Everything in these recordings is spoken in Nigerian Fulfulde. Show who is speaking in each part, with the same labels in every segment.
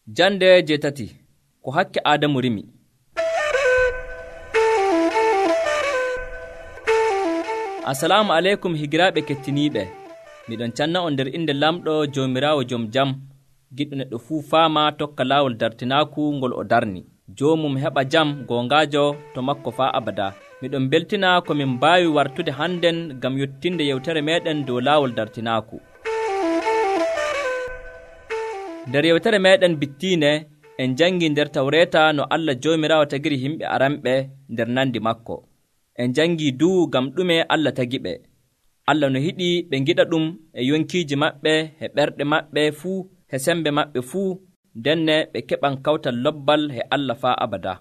Speaker 1: Jande jeetati ko hakke Aadamu rimi. Assalamu aleykum higiraaɓe kettiniiɓe. Miɗon canna on nder inde lamɗo Joomiraawo jom jam, giɗɗo neɗɗo fuu faama tokka laawol dartinaaku ngol o darni. Joomum heɓa jam goongaajo to makko faa abada. Miɗon beltina ko min mbaawi wartude hannden ngam yottinde yewtere meeɗen dow laawol dartinaaku. Nder yewtere meeɗen bittiinde en jangii nder Tawreeta no Allah Joomiraawo tagiri yimɓe aranɓe nder nandi makko. En jangii duu ngam ɗume Allah tagiɓe. Allah no hiɗi ɓe ngiɗa ɗum e yonkiiji maɓɓe, e ɓerɗe maɓɓe fuu, e sembe maɓɓe fuu, ndenne ɓe keɓan kawtal lobbal e Allah faa abada.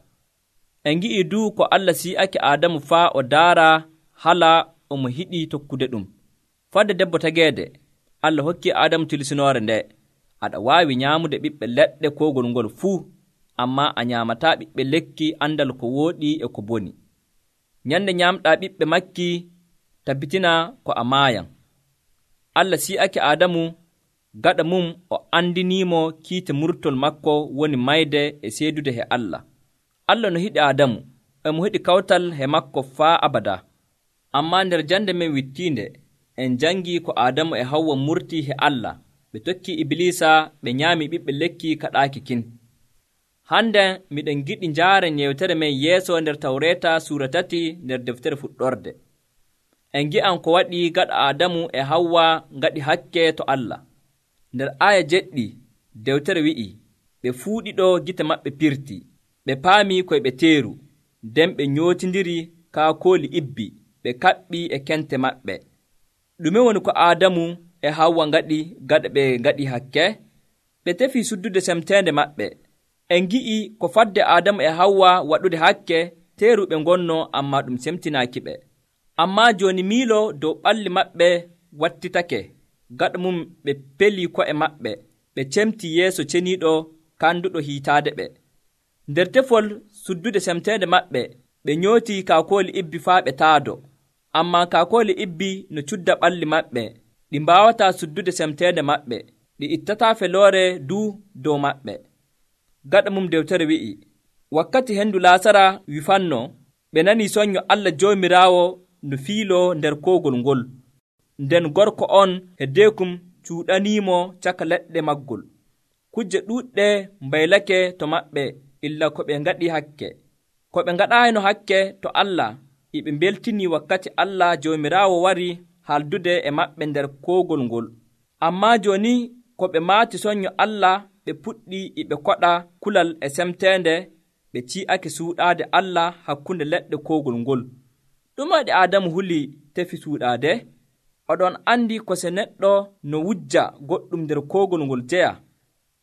Speaker 1: En ngi'ii duu ko Allah si'ake Aadamu faa o daara hala omo hiɗi tokkude ɗum. Fadde debbo tageede, Allah hokki Aadamu tilisinoore nde: aɗa waawi nyaamude ɓiɓɓe leɗɗe koogol ngol fuu, ammaa a nyaamataa ɓiɓɓe lekki andal ko wooɗi e ko boni. Nyande nyaamɗaa ɓiɓɓe makki, tabbitina ko a maayan. Allah si'ake Aadamu, gaɗa mum o andiniimo kiite murtol makko woni mayde e seedude he Allah. Allah no hiɗi Aadamu, emo heɗi kawtal he makko faa abada. Ammaa nder jande men wittiinde, en jangii ko Aadamu e Hawwa murtii he Allah. Ɓe tokkii Ibliisa, ɓe nyaami ɓiɓɓe lekki kaɗaaki kin. Hande miɗen giɗi njaaren yewtere men yeeso nder Tawreeta suura 3 nder deftere fuɗɗorde. En gi'an ko waɗi gaɗa Aadamu e Hawwa ngaɗi hakke to Allah. Nder aaya jeɗɗi dewtere wi'i, ɓe fuu ɗiɗo gite maɓɓe pirti, ɓe paamii koye ɓe teeru, nden ɓe nyootindiri kaakooli ibbi, ɓe kaɓɓii e kente maɓɓe. Ɗume woni ko Aadamu e Hawwa ngaɗi gaɗa ɓe ngaɗi hakke? Ɓe tefii suddude semteende maɓɓe. En gi'i ko fadde Aadamu e Hawwa waɗude hakke, teeru ɓe ngonno, ammaa ɗum semtinaakiɓe. Ammaa jooni miilo dow ɓalli maɓɓe wattitake, gaɗa mum ɓe pelii ko'e maɓɓe, ɓe cemtii yeeso ceniiɗo kanduɗo hiitaade ɓe. Nder tefol suddude semteende maɓɓe, ɓe nyootii kaakooli ibbi faa ɓe taado. Ammaa kaakooli ibbi no cudda ɓalli maɓɓe, ɗi mbaawataa suddude semteende maɓɓe, ɗi ittataa feloore duu dow maɓɓe. Gaɗa mum dewtere wi'i, wakkati hendu laasara wifanno, ɓe nanii soñño Allah Joomiraawo no fiiloo nder koogol ngol, nden gorko on e deekum cuuɗaniimo caka leɗɗe maggol. Kujje ɗuuɗɗe mbaylake to maɓɓe illa ko ɓe ngaɗi hakke. Ko ɓe ngaɗaayno hakke to Allah, ɓe mbeltinii wakkati Allah Joomiraawo wari haldude e maɓɓe nder koogol ngol. Ammaa jooni ko ɓe maati soñño Allah, ɓe puɗɗi ɓe koɗa kulal e semteende, ɓe ci'ake suuɗaade Allah hakkunde leɗɗe koogol ngol. Ɗum waɗi Aadamu huli tefi suuɗaade? Oɗon andi ko se neɗɗo no wujja goɗɗum nder koogol ngol jeya,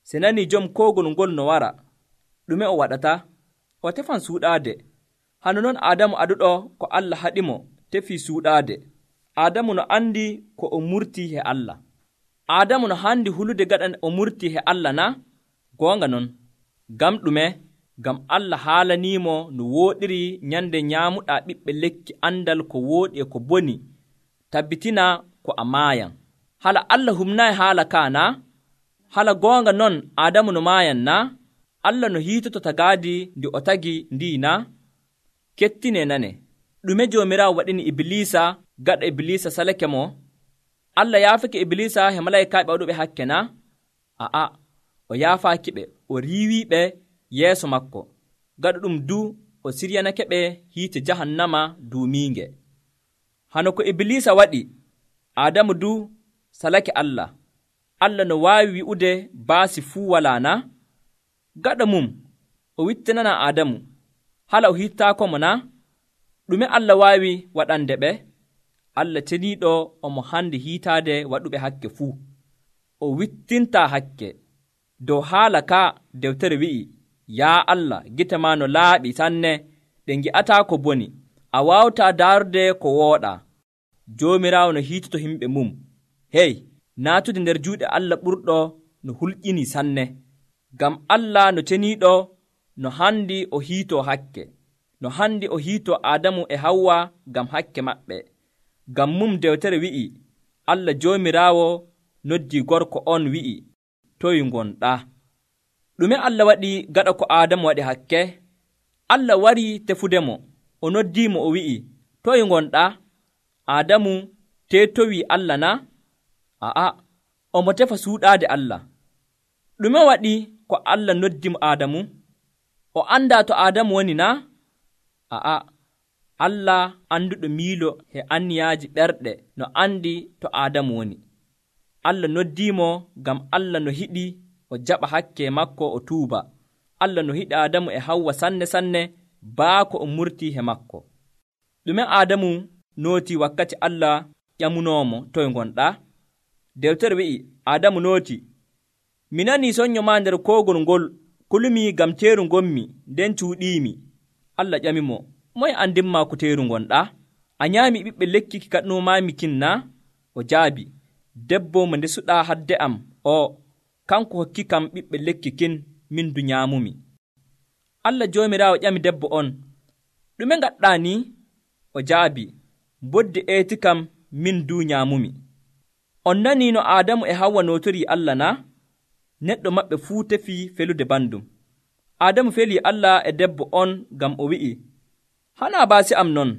Speaker 1: se nanii jom koogol ngol no wara, ɗume o waɗata? O tefan suuɗaade. Hano non Aadamu aduɗo ko Allah haɗimo tefii suuɗaade. Aadamu no andi ko o murtii he Allah. Aadamu no handi hulude gaɗa o murtii he Allah na? Goonga non. Ngam ɗume? Ngam Allah haalaniimo no wooɗiri nyande nyaamuɗaa ɓiɓɓe lekki andal ko wooɗi e ko boni, tabbitina ko a maayan. Hala Allah humnaayi haala kaa na? Hala goonga non Aadamu no maayan na? Allah no hiitoto tagaadi ndi o tagi ndii na? Kettine nane. Ɗume Joomiraawo waɗini Ibliisa gaɗa Ibliisa salake mo? Allah yaafake Ibliisa e malaykaaɓe waɗuɓe hakke na? A'a, o yaafaaki ɓe, o riiwiiɓe yeeso makko. Gaɗa ɗum du o siryanake ɓe hiite jahannama duumiinge. Hano ko Ibliisa waɗi, Aadamu du salake Allah. Allah no waawi wi'ude baasi fuu walaa na? Gaɗa mum o wittinana Aadamu, hala o hittaako mo na? Ɗume Allah waawi waɗande ɓe? Allah ceniiɗo omo handi hiitaade waɗuɓe hakke fuu. O wittintaa hakke. Dow haala ka dewtere wi'i, yaa Allah, gite maa no laaɓi sanne, ɗe ngi'ataa ko boni, a waawataa daarude ko wooɗaa. Joomiraawo no hiitoto himɓe mum. Hey, naatude nder juuɗe Allah ɓurɗo no hulƴinii sanne. Ngam Allah no ceniiɗo no handi o hiitoo hakke, no handi o hiitoo Aadamu e Hawwa ngam hakke maɓɓe. Ngam mum dewtere wi'i, Allah Joomiraawo noddii gorko on wi'i, toy ngonɗaa? Ɗume Allah waɗi gaɗa ko Aadamu waɗi hakke? Allah warii tefudemo, o noddiimo o wi'i, toye ngonɗaa? Aadamu teetowii Allah na? A'a, omo tefa suuɗaade Allah. Ɗume waɗi ko Allah noddimo Aadamu? O andaa to Aadamu woni na? A'a, Allah anduɗo miilo e anniyaaji ɓerɗe no andi to Aadamu woni. Allah noddiimo ngam Allah no hiɗi o jaɓa hakke makko o tuuba. Allah no hiɗi Aadamu e Hawwa sanne baako o murtii he makko. Ɗume Aadamu nooti wakkati Allah ƴamunoomo, toye ngonɗaa? Dewtere wi'i, Aadamu nooti, mi nanii sonnyo maa nder koogol ngol, kulumi ngam teeru ngonmi, nden cuuɗiimi. Allah ƴamimo, moye andinmaa ko teeru ngonɗaa? A nyaami ɓiɓɓe lekki ki kaɗnomaami kin na? O jaabi, debbo mo ndesuɗaa hadde am, kanko hokki kam ɓiɓɓe lekki kin, min du nyaamumi. Allah Joomiraawo ƴami debbo on, ɗume ngaɗɗaa ni? O jaabi, bodde eeti kam min du nyaamumi. On nanii no Aadamu e Hawwa nootorii Allah na? Neɗɗo maɓɓe fuu tefii felude bandum. Aadamu felii Allah e debbo on ngam o wi'i, hanaa baasi am non,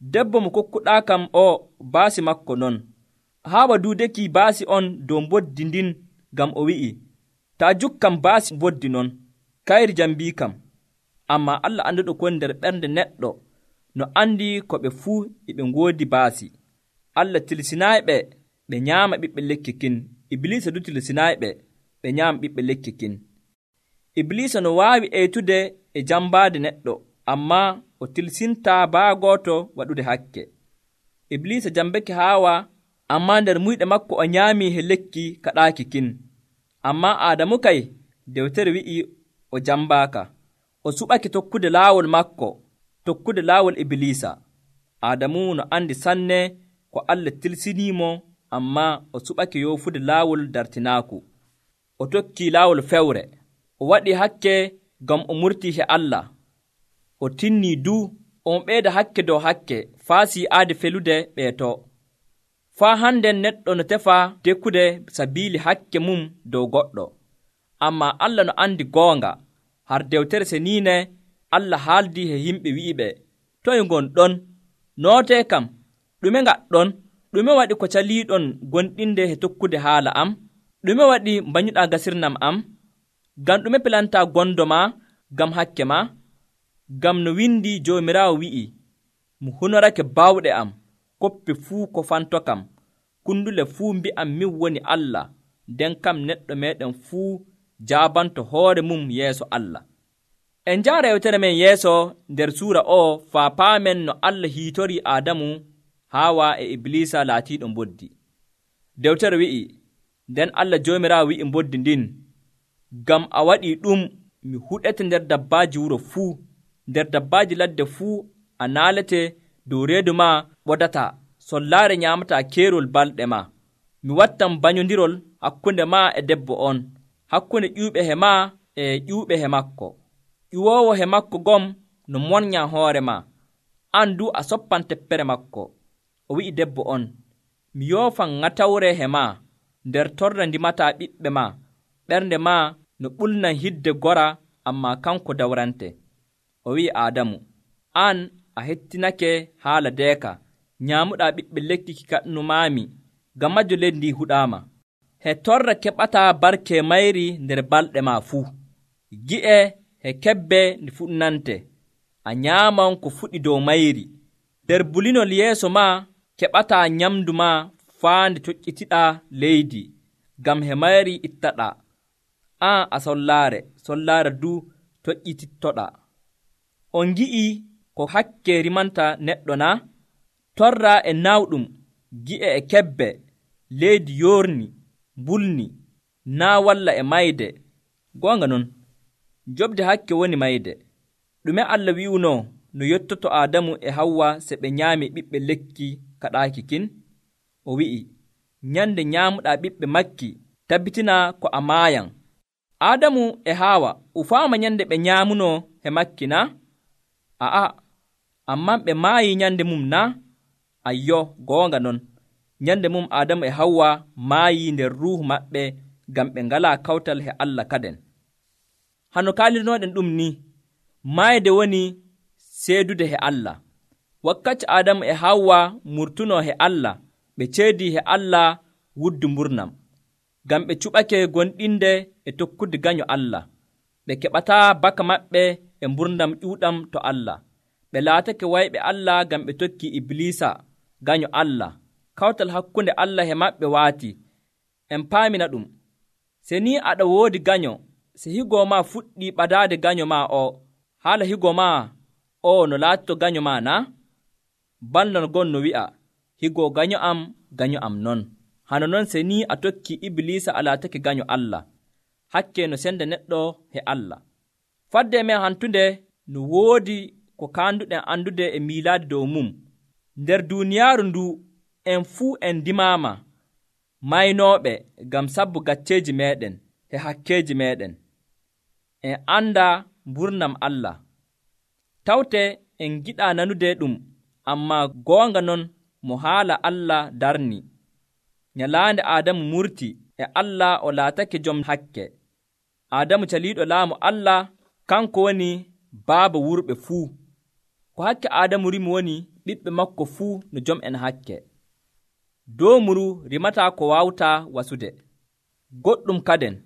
Speaker 1: debbo mo kokkuɗaa kam baasi makko non. Haawa duudekii baasi on dow mboddi ndin ngam o wi'i, taa jukkam baasi mboddi non, kayri jam mbii kam. Ammaa Allah anduɗo ko woni nder ɓernde neɗɗo no andi ko ɓe fuu e ɓe ngoodi baasi. Allah tilsinaayiɓe ɓe nyaama ɓiɓɓe lekki kin. Iblisa du tilsinaayiɓe ɓe nyaama ɓiɓɓe lekki kin. Iblisa no waawi eytude e jambaade neɗɗo, ammaa o tilsintaa baa gooto waɗude hakke. Iblisa jambake Haawa, ammaa nder muyɗe makko o nyaamii he lekki kaɗaaki kin. Ammaa Aadamu kay, dewtere wi'i o jambaaka. O suɓake tokkude laawol makko, tokkude laawol Iblisa. Aadamu no andi sanne ko Allah tilsiniimo, ammaa o suɓake yoofude laawol dartinaaku. O tokkii laawol fewre. O waɗi hakke ngam o murtii he Allah. O tinnii du on ɓeyda hakke dow hakke faa si'aade felude ɓeeto. Faa hannden neɗɗo no tefa dekkude sabiili hakke mum dow goɗɗo. Ammaa Allah no andi goonga. Har dewtere seniine Allah haaldii he yimɓe wi'iɓe, toye ngonɗon? Nootee kam, ɗume ngaɗɗon? Ɗume waɗi ko caliiɗon gonɗinde he tokkude haala am? Ɗume waɗi mbanyuɗaa gasirnam am? Ngam ɗume pelantaa gondo ma ngam hakke ma? Ngam no windi Joomiraawo wi'i, mi hunorake bawɗe am, koppe fuu ko fanto kam, kundule fuu mbi'am min woni Allah, nden kam neɗɗo meeɗen fuu jaabanto hoore mum yeeso Allah. En njaara yewtere men yeeso nder suura faa paamen no Allah hiitorii Aadamu, Haawa e Iblisa laatiiɗo mboddi. Dewtere wi'i, nden Allah Joomiraawo wi'i mboddi ndin, ngam a waɗii ɗum, mi huɗete nder dabbaaji wuro fuu, nder dabbaaji ladde fuu a naalete dow reedu ma ɓodata, sollaare nyaamataa keerol balɗe ma. Mi wattan bañondirol hakkunde ma e debbo on, hakkunde ƴuuɓe he ma e ƴuuɓe he makko. Ƴuwoowo he makko gom no monñaa hoore ma, an du a soppan teppere makko. O wi'i debbo on, mi yoofan ŋatawre he ma, nder torra ndimataa ɓiɓɓe ma, ɓernde ma no ɓulnan hidde gora, ammaa kanko dawrante. O wi'i Aadamu, an a hettinake haala deeka, nyaamuɗaa ɓiɓɓe lekki ki kaɗnumaami, ngam majjo leydi ndi huɗaama. He torra keɓataa barke mayri nder balɗe ma fuu. Gi'e he kebbe ndi fuɗnante, a nyaaman ko fuɗi dow mayri. Nder bulinol yeeso ma keɓataa nyamdu ma faa nde toƴƴitiɗaa leydi, ngam he mayri ittaɗaa. An a sollaare du toƴƴitittoɗaa. On ngi'ii ko hakke rimanta neɗɗo na? Torra e nawɗum, gi'e e kebbe, leydi yoorni, mbulni, naa walla e mayde. Goonga non, jobde hakke woni mayde. Ɗume Allah wi'unoo no yottoto Aadamu e Hawwa se ɓe nyaami ɓiɓɓe lekki kaɗaaki kin? O wi'i, nyande nyaamuɗaa ɓiɓɓe makki, tabbitinaa ko a maayan. Aadamu e Haawa ufaama nyande ɓe nyaamunoo he makki na? A'a, ammaa ɓe maayii nyande mum na? Ayyo, goonga non. Nyande mum Aadamu e Hawwa maayii nder ruuhu maɓɓe ngam ɓe ngalaa kawtal he Allah kaden. hano kaalirnoɗen ɗum ni mayde woni seedude he Allah. Wakkati Adamu e Hawwa murtuno he Allah, ɓe ceedi he Allah wuddu mburnam, ngam ɓe cuɓake gonɗinde e tokkude ganyo Allah. Ɓe keɓataa baka maɓɓe e mburnam ƴuuɗam to Allah. Ɓe laatake wayɓe Allah ngam ɓe tokki Iblisa ganyo Allah. Kawtal hakkunde Allah e maɓɓe waati. En paamina ɗum. Se ni aɗa woodi ganyo, se higo ma fuɗɗi ɓadaade ganyo ma o, haala higo ma o no laatito ganyo ma na? Banda no gon no wi'a, higo ganyo am non. Hano non se ni a tokki Iblisa a laatake ganyo Allah. Hakke no senda neɗɗo he Allah. Fadde men hantunde no woodi ko kaanduɗen andude e miilaade dow mum. Nder duuniyaaru ndu en fuu en dimaama maynooɓe ngam sabbu gacceeji meeɗen e hakkeeji meeɗen. En anda mburnam Allah. Tawte en giɗaa nanude ɗum, ammaa goonga non mo haala Allah darni. Nyalaande Aadamu murti e Allah o laatake jom hakke. Aadamu caliiɗo laamu Allah, kanko woni baaba wurɓe fuu. Ko hakke Aadamu rimi woni ɓiɓɓe makko fuu no jom en hakke. Doomuru rimataa ko waawtaa wasude. Goɗɗum kaden,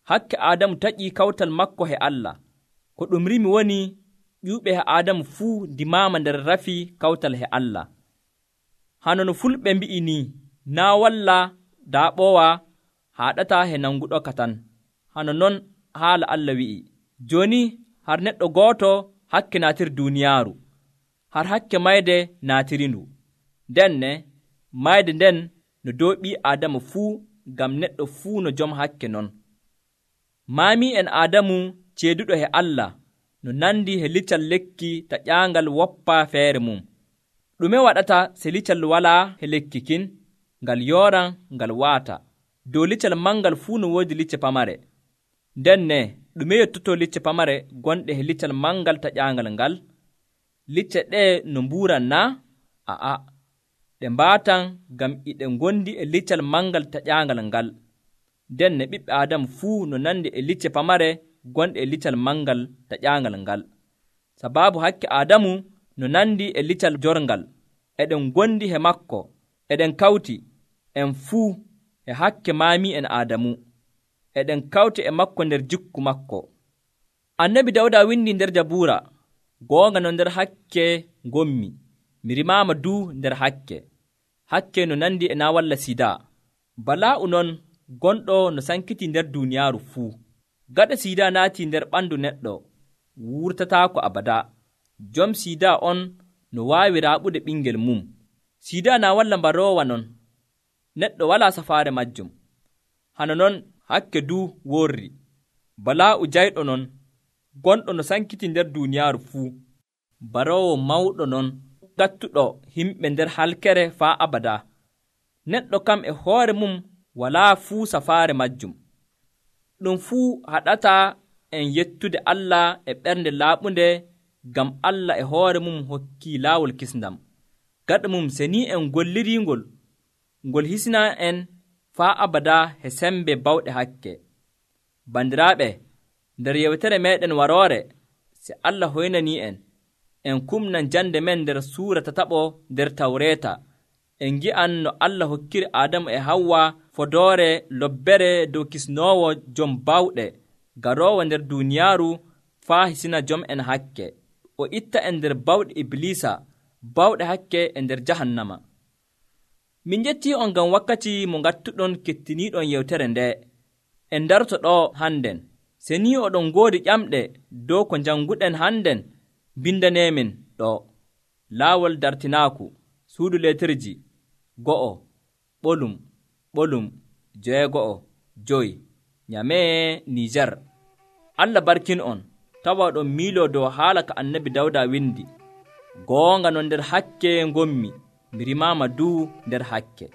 Speaker 1: hakke Aadamu taƴii kawtal makko he Allah. Ko ɗum rimi woni ƴuuɓe he Aadamu fuu dimaama nder rafi kawtal he Allah. Hano no fulɓe mbi'i ni, naa walla daa ɓoowa haaɗataa he nanguɗo ka tan. Hano non haala Allah wi'i. Jooni har neɗɗo gooto hakke naatiri duuniyaaru, har hakke mayde naatirindu. Denne mayde nden no dow ɓii Aadamu fuu, ngam neɗɗo fuu no jom hakke non. Maami en Aadamu ceeduɗo he Allah no nandi he liccal lekki ta ƴaangal woppaa feere mum. Ɗume waɗata se liccal walaa he lekki kin? Ngal yooran ngal waata. Dow liccal mangal fuu no woodi licce pamare. Ndenne ɗume yettoto licce pamare gonɗe he liccal mangal ta ƴaangal ngal? Licce ɗe no mbuuran na? A'a, ɗe mbaatan ngam iɗe ngondi e liccal mangal ta ƴaangal ngal. Ndenne ɓiɓɓe Aadamu fuu no nandi e licce pamare gonɗe e liccal mangal ta ƴaangal ngal. Sabaabu hakke Aadamu no nandi e liccal jorngal, eɗen gondi he makko, eɗen kawti en fuu e hakke maami en Aadamu, eɗen kawti e makko nder jikku makko. Annabi Dawda windi nder Jabuura, goonga no nder hakke ngommi, mi rimaama duu nder hakke. Hakke no nandi e naa walla sida. Balaa'u non gonɗo no sankiti nder duuniyaaru fuu. Gaɗa sida naati nder ɓandu neɗɗo, wurtataako abada. Jom sida on no waawi raaɓude ɓingel mum. Sida na walla mbaroowa non, neɗɗo walaa safaare majjum. Hano non hakke duu worri. Balaa'u jayɗo non, gonɗo no sankiti nder duuniyaaru fuu. Baroowo mawɗo non, gattuɗo himɓe nder halkere faa abada. Neɗɗo kam e hoore mum walaa fuu safaare majjum. Ɗum fuu haɗataa en yettude Allah e ɓernde laaɓunde, ngam Allah e hoore mum hokkii laawol kisndam. Gaɗa mum se ni en golliringol, ngol hisina en faa abada he sembe bawɗe hakke. Bandiraaɓe, nder yewtere meeɗen waroore, se Allah hoynanii en kumnan jande men nder suura tataɓo nder Tawreeta, en ngi'an no Allah hokkiri Aadamu e Hawwa fodoore lobbere dow kisnoowo jom bawɗe garoowo nder duuniyaaru faa hisina jom en hakke, o itta en nder bawɗe Iblisa, bawɗe hakke e nder jahannama. Min njettii on ngam wakkati mo ngattuɗon kettiniiɗon yewtere nde. En darto ɗo hannden. Se ni oɗon ngoodi ƴamɗe dow ko njannguɗen hannden, bindaneemin ɗo. Laawol dartinaaku, suudu leetirji 1:9:5 Nyamee Nijar. Allah barkin on, tawa ɗon miiloo dow haala ka Annabi Dawda windi. Goonga no nder hakke ngommi, mi rimaama duu nder hakke.